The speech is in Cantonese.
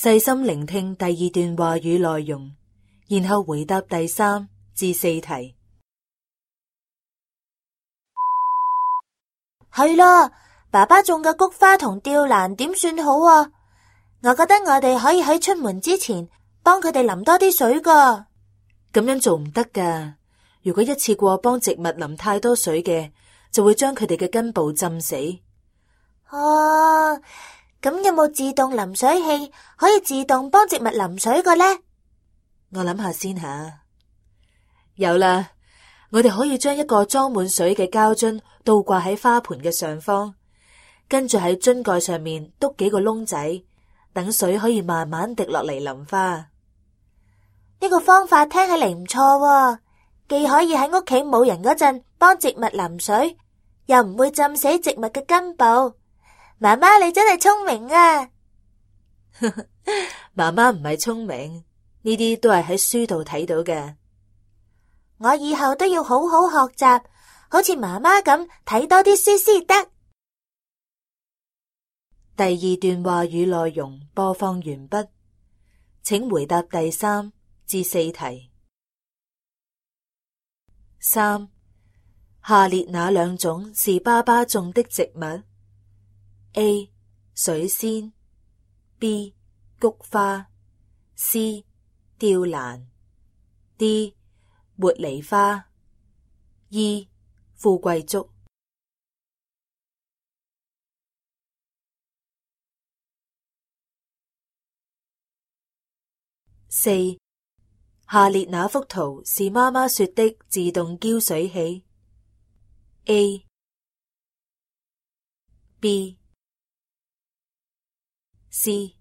細心聆聽第二段話語內容，然後回答第3至4題。係啦，爸爸種嘅菊花同吊蘭點算好啊？我覺得我哋可以喺出門之前幫佢哋淋多啲水噶。咁樣做唔得噶，如果一次過幫植物淋太多水嘅，就會將佢哋嘅根部浸死。哦，咁有冇自動淋水器可以自動幫植物淋水嘅呢？我諗下先吓。有啦，我哋可以將一個裝滿水嘅膠樽倒掛喺花盆嘅上方，跟住喺樽蓋上面篤幾個窿仔，等水可以慢慢滴落嚟淋花。呢個方法聽起嚟唔錯喎，既可以喺屋企冇人嗰陣幫植物淋水，又唔會浸死植物嘅根部。媽媽，你真係聰明啊！媽媽唔係聰明，呢啲都係喺書度睇到嘅。我以後都要好好學習，好似媽媽咁睇多啲書先得。第2段話語內容播放完畢，請回答第3至4題。3. 下列哪兩種是爸爸種的植物？A. 水仙 B. 菊花 C. 吊蘭 D. 茉莉花 E. 富貴竹。4. 下列哪幅圖是媽媽說的自動澆水器？A. B. C.